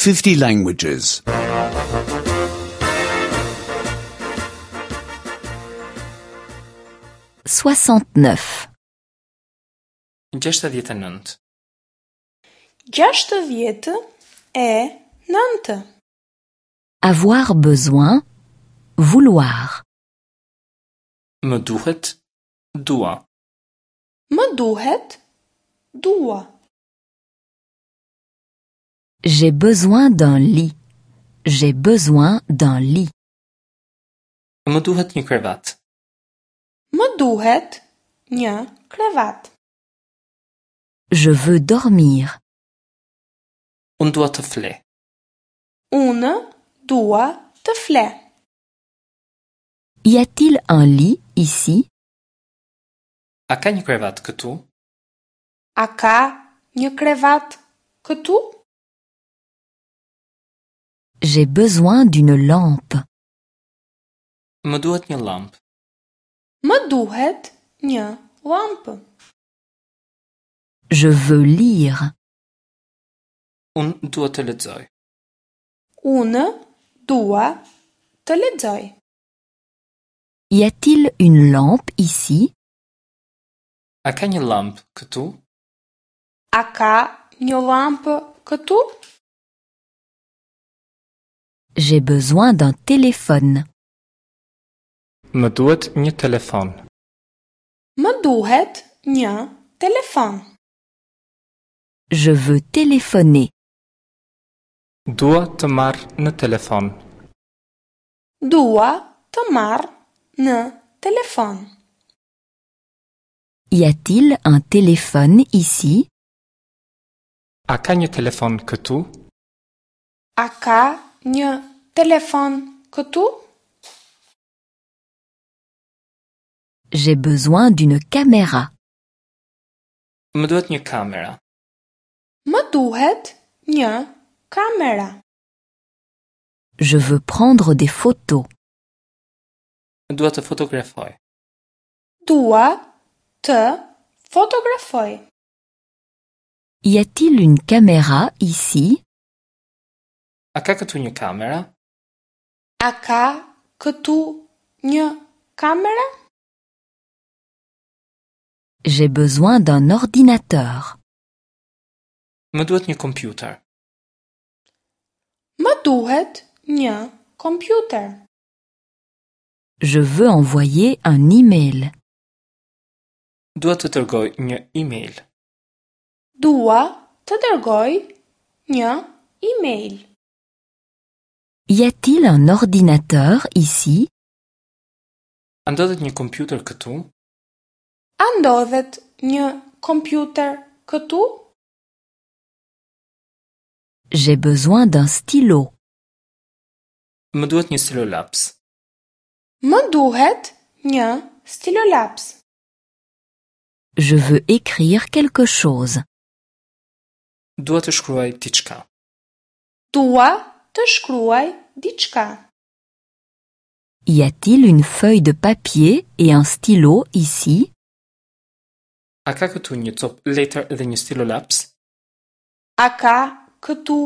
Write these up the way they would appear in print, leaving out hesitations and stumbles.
50 languages. 69. 69. 69. Avoir besoin, vouloir. Më duhet, dua. Më duhet, dua. J'ai besoin d'un lit. J'ai besoin d'un lit. Më duhet një krevat. Më duhet një krevat. Je veux dormir. Unë dua të fle. Unë dua të fle. Y a-t-il un lit ici? A ka një krevat këtu? A ka një krevat këtu? J'ai besoin d'une lampe. Më duhet një llampë. Më duhet një llampë. Je veux lire. Unë dua të lexoj. Unë dua të lexoj. Y a-t-il une lampe ici? A ka një llampë këtu? A ka një llampë këtu? J'ai besoin d'un téléphone. Më duhet një telefon. Më duhet një telefon. Je veux téléphoner. Dua të marr në telefon. Dua të marr në telefon. Y a-t-il un téléphone ici? A ka një telefon këtu? A ka një telefon këtu? J'ai besoin d'une caméra. Më duhet një kamera. Më duhet një kamera. Je veux prendre des photos. Dua të fotografoj. Dua të fotografoj. Y a-t-il une caméra ici? A ka këtu një kamera? A ka këtu një kamera? J'ai besoin d'un ordinateur. Më duhet një kompjuter. Më duhet një kompjuter. Je veux envoyer un e-mail. Dua të dërgoj një email. Dua të dërgoj një email. Y a-t-il un ordinateur ici? A ndodhet një kompjuter këtu? A ndodhet një kompjuter këtu? J'ai besoin d'un stylo. Më duhet një stilolaps. Më duhet një stilolaps. Je veux écrire quelque chose. Dua të shkruaj diçka. Dua të shkruaj diçka. Y a-t-il une feuille de papier et un stylo ici? A ka këtu një copë letër dhe një stilolaps? A ka këtu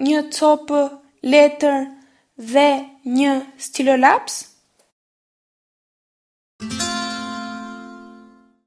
një copë letër dhe një stilolaps?